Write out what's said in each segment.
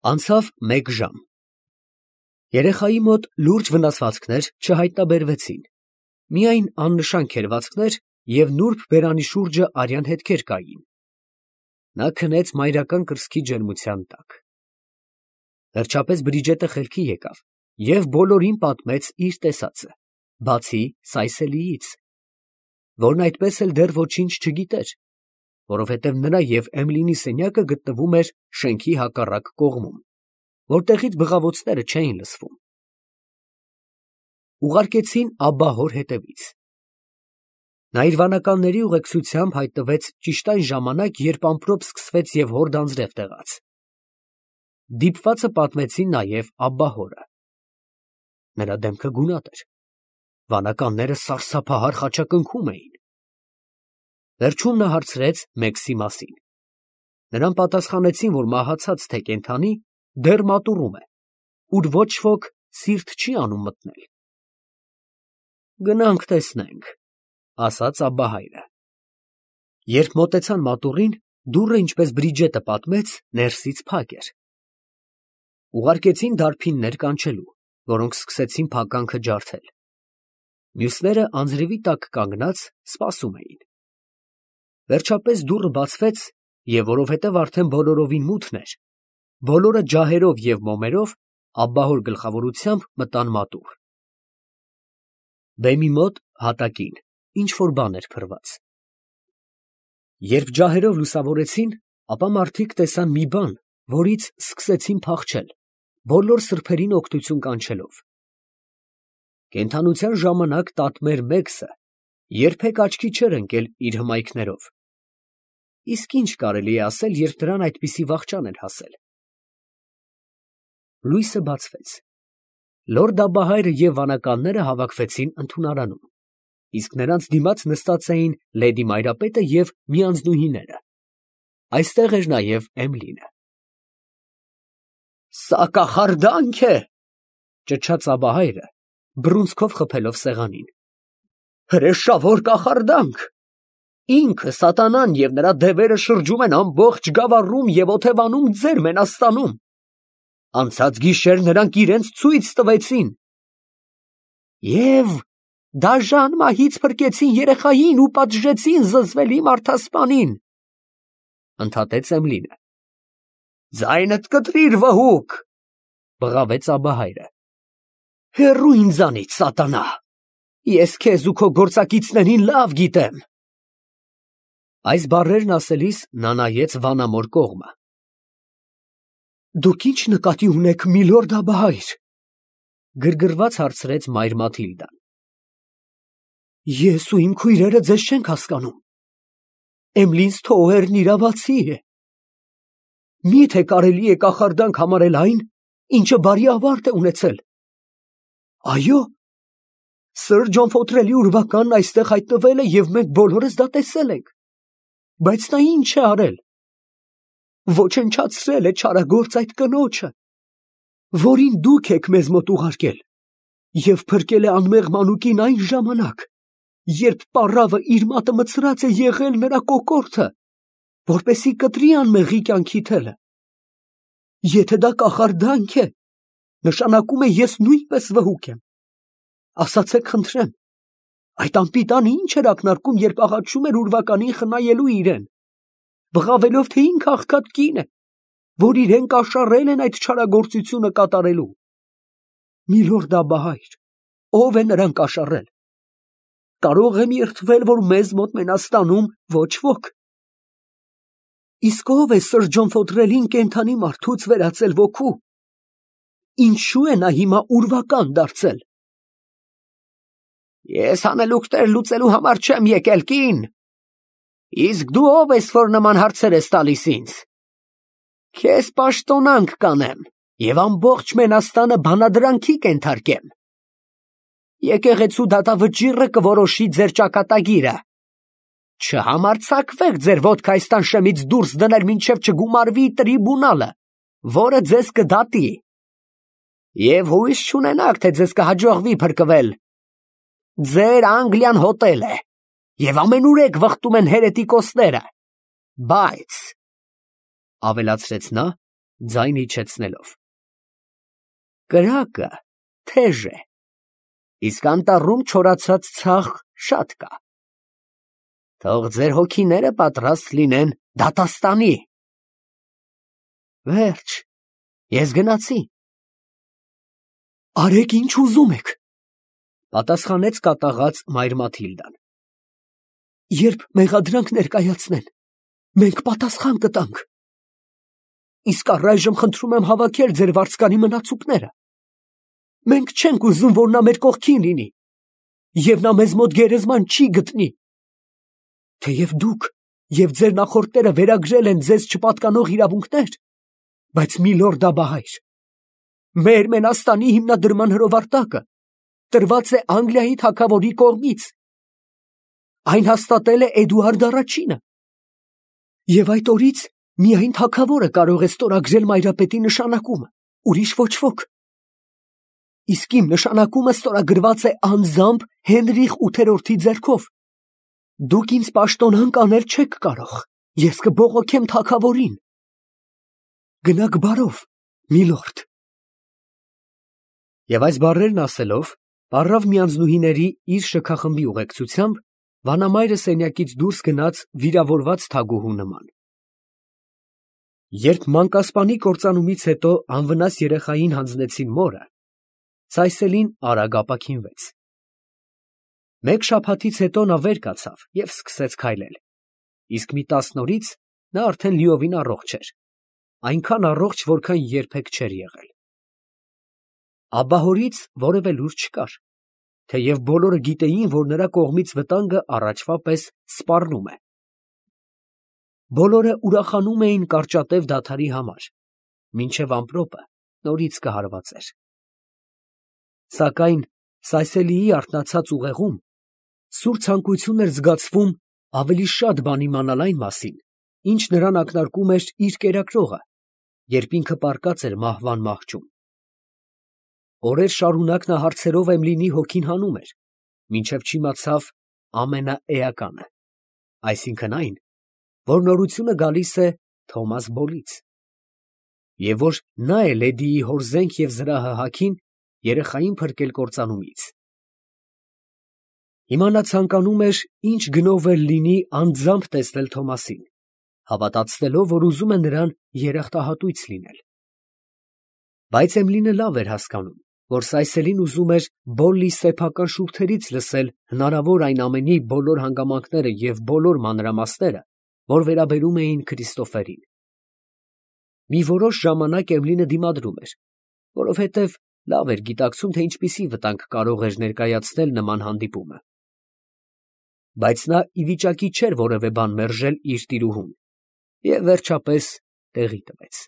Անցավ մեկ ժամ։ Երեխայի մոտ լուրջ վնասվածքներ չհայտնաբերվեցին, միայն աննշան քերծվածքներ և նուրբ բերանի շուրջը արյան հետքեր կային։ Նա քնեց մայրական կրծքի ջերմության տակ։ Վերջապես Բրիջետը խելքի եկավ և բոլորին պատմեց իր տեսածը, բացի Սայսելիից, որն այդպես էլ դեռ ոչինչ չգիտեր, որովհետև նրա և Էմիլիի սենյակը գտնվում էր շենքի հակառակ կողմում, որտեղից բղավոցները չէին լսվում։ Ուղարկեցին Աբբահոր հետևից։ Նա իր վանականների ուղեկցությամբ հայտնվեց ճիշտ այն ժամանակ, երբ ամպրոպ սկսվեց և հորդ անձրև տեղաց։ Դիպվածը պատմեցին նաև Աբբահորը։ Նրա դեմքը գունատ էր, վանականները սարսափահար խաչակնքում էին։ Վերջում նա հարցրեց Մեքսի մասին։ Նրան պատասխանեցին, որ մահացած թե կենդանի դեռ մատուռում է, ուր ոչ ոք սիրտ չի անում մտնել։ Գնանք տեսնենք, ասաց Աբբահայրը։ Երբ մոտեցան մատուռին, դուռը, ինչպես Բրիջետը պատմեց, ներսից փակ էր։ Ուղարկեցին դարբիններ կանչելու, որոնք սկսեցին փականքը ջարդել։ Մյուսները անձրևի տակ կանգնած սպասում էին։ Վերջապես դուռը բացվեց, և որովհետև արդեն բոլորովին մութն էր, բոլորը ջահերով և մոմերով Աբբահոր գլխավորությամբ մտան մատուռ։ Բեմի մոտ հատակին ինչ֊որ բան էր փռված։ Երբ ջահերով լուսավորեցին, ապա մարդիկ տեսան մի բան, որից սկսեցին փախչել, բոլոր սրբերին օգնություն կանչելով։ Կենդանության ժամանակ տատմեր Մեքսը երբեք աչքի չէր ընկել իր հմայքներով։ Իսկ ինչ կարելի է ասել, երբ դրան այդպիսի վախճան էր հասել։ Լույսը բացվեց։ Լորդ Աբբահայրը և վանականները հավաքվեցին ընդունարանում, իսկ նրանց դիմաց նստած էին լեդի Մայրապետը և միանձնուհիները։ Այստեղ էր նաև Էմիլին։ Սա կախարդանք է, ճչաց Աբբահայրը, բռունցքով խփելով սեղանին։ Հրեշավոր կախարդանք։ Ինքը սատանան և նրա դևերը շրջում են ամբողջ գավառում և օթևանում ձեր Մենաստանում։ Անցած գիշեր նրանք իրենց ցույց տվեցին։ Եվ դաժան մահից փրկեցին երեխային ու պատժեցին զզվելի մարդասպանին, ընդհատեց Էմիլին։ Ձայնդ կտրիր, վհուկ, բղավեց Աբբահայրը։ Հեռու ինձանից, սատանա, ես քեզ ու քո գործակիցներին լավ գիտեմ։ Այս բառերն ասելիս նա նայեց վանամոր կողմը։ Դուք ի՞նչ նկատի ունեք, միլորդ Աբբահայր, գրգռված հարցրեց մայր Մաթիլդան։ Ես ու իմ քույրերը ձեզ չենք հասկանում։ Էմիլին Սթոուերն իրավացի է։ Մի՞թե կարելի է կախարդանք համարել այն, ինչը բարի ավարտ է ունեցել։ Այո, սըր Ջոն Ֆոթրելի ուրվականն այստեղ հայտնվել է և մենք բոլորս դա տեսել ենք։ Բայց նա ինչ է արել։ Ոչնչացրել է չարագործ այդ կնոջը, որին դուք եք մեզ մոտ ուղարկել, և փրկել է անմեղ մանուկին այն ժամանակ, երբ պառավը իր մատը մտցրած է եղել նրա կոկորդը, որպեսզի կտրի անմեղի կյանքի թելը։ Եթե դա կախարդանք է, նշանակում է ես նույնպես վհուկ եմ։ Ասացեք խնդրեմ, այդ անպիտանը ինչ էր ակնարկում, երբ աղաչում էր ուրվականին խնայելու իրեն, բղավելով, թե ինքը աղքատ կին է, որ իրեն կաշառել են այդ չարագործությունը կատարելու։ Միլորդ Աբբահայր, ո՞վ է նրան կաշառել։ Կարող եմ երդվել, որ մեզ մոտ Մենաստանում ոչ ոք։ Իսկ ո՞վ է սըր Ջոն Ֆոթրելին կենդանի մարդուց վերածել ոգու։ Ինչու է նա հիմա ուրվական դարձել։ Ես հանելուկներ լուծելու համար չեմ եկել, կին։ Իսկ դու ով ես, որ նման հարցեր ես տալիս ինձ։ Քեզ պաշտոնանք կանեմ և ամբողջ Մենաստանը բանադրանքի կենթարկեմ։ Եկեղեցու դատավճիռը կորոշի ձեր ճակատագիրը։ Չհամարձակվեք ձեր ոտքը այս տանշեմից դուրս դնել, մինչև չգումարվի տրիբունալը, որը ձեզ կդատի։ Եվ հույս չունենաք, թե ձեզ կհաջողվի փրկվել։ Ձեր Անգլիան հոտել է, և ամենուրեք վխտում են հերետիկոսները, բայց, ավելացրեց նա, ձայն իջեցնելով։ Կրակը թեժ է, իսկ անտառում չորացած ցախ շատ կա։ Թող ձեր հոգիները պատրաստ լինեն դատաստանի։ Վերջ, ես գնացի։ Արեք ինչ ուզում եք, պատասխանեց կատաղած մայր Մաթիլդան։ Երբ մեղադրանք ներկայացնեն, մենք պատասխան կտանք։ Իսկ առայժմ խնդրում եմ հավաքել ձեր վարձկանի մնացուկները։ Մենք չենք ուզում, որ նա մեր կողքին լինի, և նա մեզ մոտ գերեզման չի գտնի։ Թեև դուք և ձեր նախորդները վերագրել են ձեզ չպատկանող իրավունքներ, բայց միլորդ Աբահայր, մեր մենաստանի հիմնադրման հրովարտակը տրված է Անգլիայի թագավորի կողմից։ Այն հաստատել է Էդուարդ առաջինը, և այդ օրից միայն թագավորը կարող է ստորագրել մայրապետի նշանակումը, ուրիշ ոչ ոք։ Իսկ իմ նշանակումը ստորագրված է անձամբ Հենրիխ ութերորդի ձեռքով։ Դուք ինձ պաշտոնանկ անել չեք կարող, ես կբողոքեմ թագավորին։ Գնաք բարով, միլորդ։ Եվ այս բառերն ասելով, պառավ միանձնուհիների իր շքախմբի ուղեկցությամբ վանամայրը սենյակից դուրս գնաց վիրավորված թագուհու նման։ Երբ մանկասպանի կործանումից հետո անվնաս երեխային հանձնեցին մորը, Սայսելին արագ ապաքինվեց։ Մեկ շաբաթից հետո նա վեր կացավ և սկսեց քայլել, իսկ մի 10 օրից նա արդեն լիովին առողջ էր, այնքան առողջ, որքան երբեք չէր եղել։ Աբահորից որևէ լուր չկար, թեև բոլորը գիտեին, որ նրա կողմից վտանգը առաջվա պես սպառնում է։ Բոլորը ուրախանում էին կարճատև դադարի համար, մինչև ամպրոպը նորից կհարվածեր։ Սակայն Սայսելիի արթնացած ուղեղում սուր ցանկություն էր զգացվում ավելի շատ բան իմանալ այն մասին, ինչ նրան ակնարկում էր իր կերակրողը, երբ ինքը պառկած էր մահվան մահճում։ Օրեր շարունակ նա հարցերով Էմլինի հոգին հանում էր, մինչև չիմացավ ամենաէականը, այսինքն այն, որ նորությունը գալիս է Թոմաս Բոլից, և որ նա է լեդիի հոր զենք և զրահը հագին երեխային փրկել կործանումից։ Հիմա նա ցանկանում էր ինչ գնով էլ լինի անձամբ տեսնել Թոմասին, հավատացնելով, որ ուզում է նրան երախտահատույց լինել։ Բայց Էմլինը լավ էր հասկանում, որ Սայսելին ուզում էր Բոլլի սեփական շուրթերից լսել հնարավոր այն ամենի բոլոր հանգամանքները և բոլոր մանրամասները, որ վերաբերում էին Քրիստոֆերին։ Մի որոշ ժամանակ Էմլինը դիմադրում էր, որովհետև լավ էր գիտակցում, թե ինչպիսի վտանգ կարող էր ներկայացնել նման հանդիպումը։ Բայց նա ի վիճակի չէր որևէ բան մերժել իր տիրուհուն և վերջապես տեղի տվեց։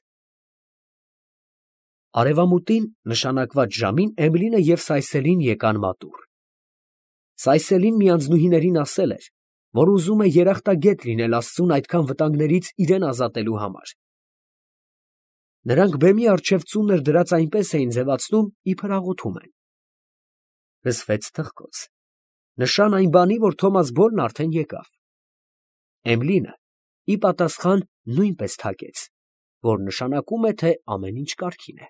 Արևամուտին նշանակված ժամին Էմլինը և Սայսելին եկան մատուռ։ Սայսելին միանձնուհիներին ասել էր, որ ուզում է երախտագետ լինել Աստծուն այդքան վտանգներից իրան ազատելու համար։ Նրանք բեմի առջև ծունր դրած այնպես էին ձևացնում, իբր աղոթում են։ Լսվեց թխկոց, նշան այն բանի, որ Թոմաս Բոլն արդեն եկավ։ Էմլինը ի պատասխան նույնպես թակեց, որ նշանակում է, թե ամեն ինչ կարգին է։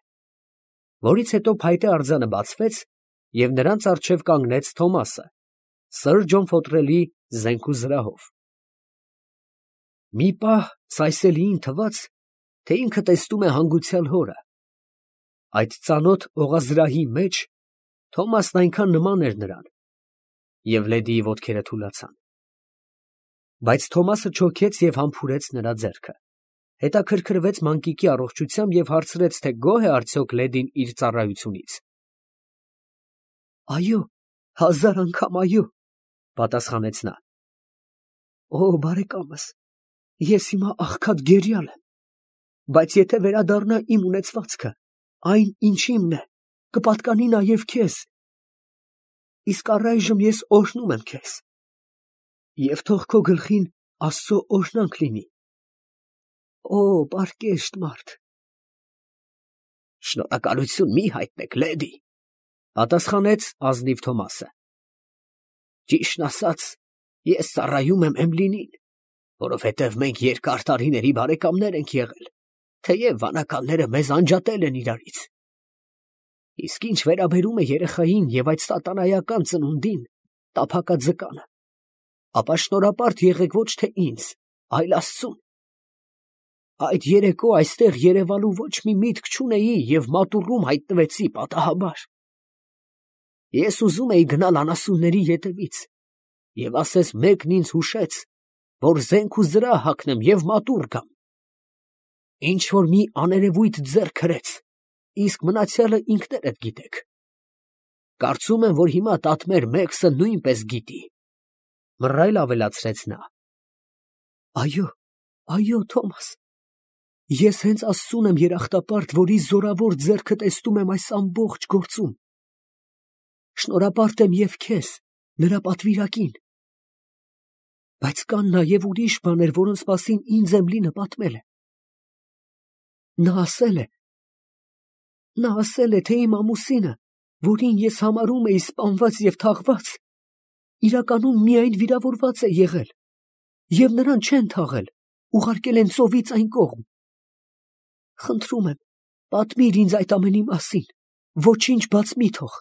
Որից հետո փայտե արձանը բացվեց, և նրանց առջև կանգնեց Թոմասը, սըր Ջոն Ֆոտրելի զենք ու զրահով։ Մի պահ Սայսելիին թվաց, թե ինքը տեսնում է հանգուցյալ հորը։ Այդ ծանոթ օղազրահի մեջ Թոմասն այնքան նման էր նրան, և լեդիի ոտքերը թուլացան։ Բայց Թոմասը չոքեց և համբուրեց նրա ձեռքը, հետաքրքրվեց մանկիկի առողջությամբ և հարցրեց, թե գոհ է արդյոք լեդին իր ծառայությունից։ Այո, 1000 անգամ այո, պատասխանեց նա։ Օ, բարեկամս, ես հիմա աղքատ գերիալ եմ, բայց եթե վերադառնա իմ ունեցվածքը, այն ինչ իմն է, կպատկանի նաև քեզ, իսկ առայժմ ես օրհնում եմ քեզ, և թող քո գլխին Աստծո օրհնանք լինի։ Օ, պարկեշտ մարդ։ Շնորհակալություն մի հայտնեք, լեդի, պատասխանեց ազնիվ Թոմասը։ Ճիշտն ասած, ես ծառայում եմ Էմլինին, որովհետև մենք երկար տարիների բարեկամներ ենք եղել, թեև վանականները մեզ անջատել են իրարից։ Իսկ ինչ վերաբերում է երեխային և այդ սատանայական ծնունդին, տափակաձկանը, ապա շնորհապարտ եղեք ոչ թե ինձ, այլ Աստծուն։ Այդ երեկո այստեղ երևալու ոչ մի միտք չունեի և մատուռում հայտնվեցի պատահաբար։ Ես ուզում էի գնալ անասունների ետևից, և ասես մեկն ինձ հուշեց, որ զենք ու զրահ հագնեմ և մատուռ գամ։ Ինչ որ մի աներևույթ ձեռք հրեց, իսկ մնացյալը ինքներդ գիտեք։ Կարծում եմ, որ հիմա տատմեր Մեքսը նույնպես գիտի։ Մռայլ ավելացրեց նա։ Այո, Թոմաս, ես հենց Աստծուն եմ երախտապարտ, որի զորավոր ձեռքը տեսնում եմ այս ամբողջ գործում։ Շնորհապարտ եմ և քեզ, նրա պատվիրակին։ Բայց կան նաև ուրիշ բաներ, որոնց մասին ինձ Էմլինը պատմել է։ Նա ասել է, թե իմ ամուսինը, որին ես համարում էի սպանված և թաղված, իրականում միայն վիրավորված է եղել, և նրան չեն թաղել, ուղարկել են ծովից այն կողմ։ Խնդրում եմ, պատմիր ինձ այդ ամենի մասին, ոչինչ բաց մի թող,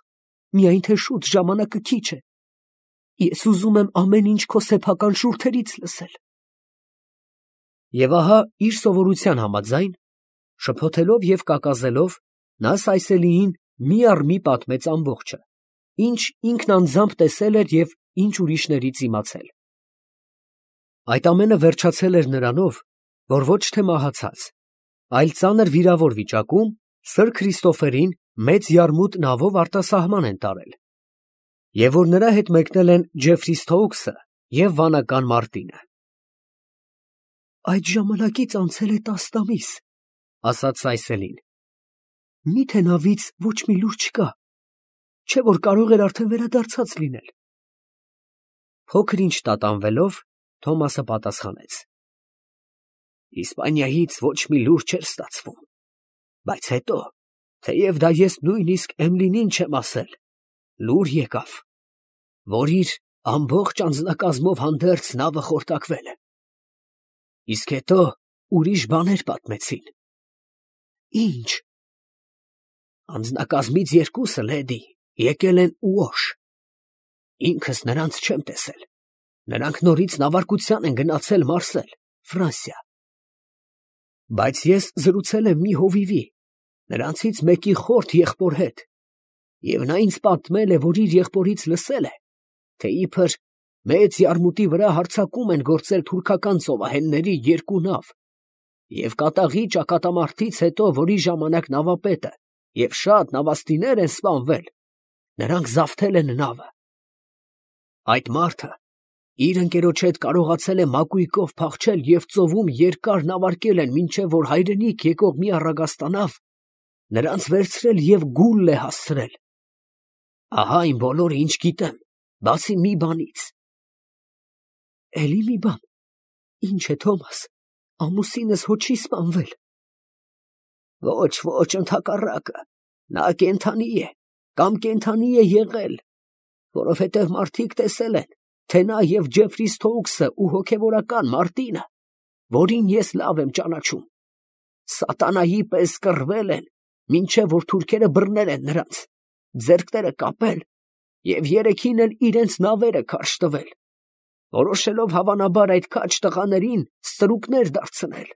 միայն թե շուտ, ժամանակը քիչ է։ Ես ուզում եմ ամեն ինչ քո սեփական շուրթերից լսել։ Եվ ահա իր սովորության համաձայն, շփոթելով և կակազելով, նա Սայսելիին մի առ մի պատմեց ամբողջը, ինչ ինքն անձամբ տեսել էր և ինչ ուրիշներից իմացել։ Այդ ամենը վերջացել էր նրանով, որ ոչ թե մահացած, այլ ծանր վիրավոր վիճակում սըր Քրիստոֆերին մեծ յարմուտ նավով արտասահման են տարել, և որ նրա հետ մեկնել են Ջեֆրի Սթոուքսը և վանական Մարտինը։ Այդ ժամանակից անցել է 10 ամիս, ասաց Սայսելին։ Մի՞թե նավից ոչ մի լուր չկա, չէ՞ որ կարող էր արդեն վերադարձած լինել։ Փոքր ինչ տատանվելով, Թոմասը պատասխանեց. Իսպանիայից ոչ մի լուր չէր ստացվում, բայց հետո, թեև դա ես նույնիսկ Էմլինին չեմ ասել, լուր եկավ, որ իր ամբողջ անձնակազմով հանդերձ նավը խորտակվել է։ Իսկ հետո ուրիշ բաներ պատմեցին։ Ինչ։ Անձնակազմից 2-ը, լեդի, եկել են Ուոշ։ Ինքս նրանց չեմ տեսել։ Նրանք նորից նավարկության են գնացել Մարսել, Ֆրանսիա։ Բայց ես զրուցել եմ մի հովիվի, նրանցից մեկի խորթ եղբոր հետ, և նա ինձ պատմել է, որ իր եղբորից լսել է, թե իբր մեծ յարմուտի վրա հարձակում են գործել թուրքական ծովահենների 2 նավ, և կատաղի ճակատամարտից հետո, որի ժամանակ նավապետը և շատ նավաստիներ են սպանվել, նրանք զավթել են նավը։ Այդ մարդը իր ընկերոջ հետ կարողացել է մակույկով փախչել և ծովում երկար նավարկել են, մինչև որ հայրենիք եկող մի առագաստանավ նրանց վերցրել և Գուլ է հասցրել։ Ահա այն բոլորը, ինչ գիտեմ, բացի մի բանից։ Էլի մի բան։ Ինչ է, Թոմաս, ամուսինս հո չի սպանվել։ Ոչ, ընդհակառակը, նա կենդանի է, կամ կենդանի է եղել, որովհետև մարդիկ տեսել են, թե նա և Ջեֆրի Սթոուքսը ու հոգևորական Մարտինը, որին ես լավ եմ ճանաչում, սատանայի պես կռվել են, մինչև որ թուրքերը բռնել են նրանց, ձեռքները կապել և 3-ին էլ իրենց նավերը քարշ տվել, որոշելով հավանաբար այդ քաջ տղաներին ստրուկներ դարձնել։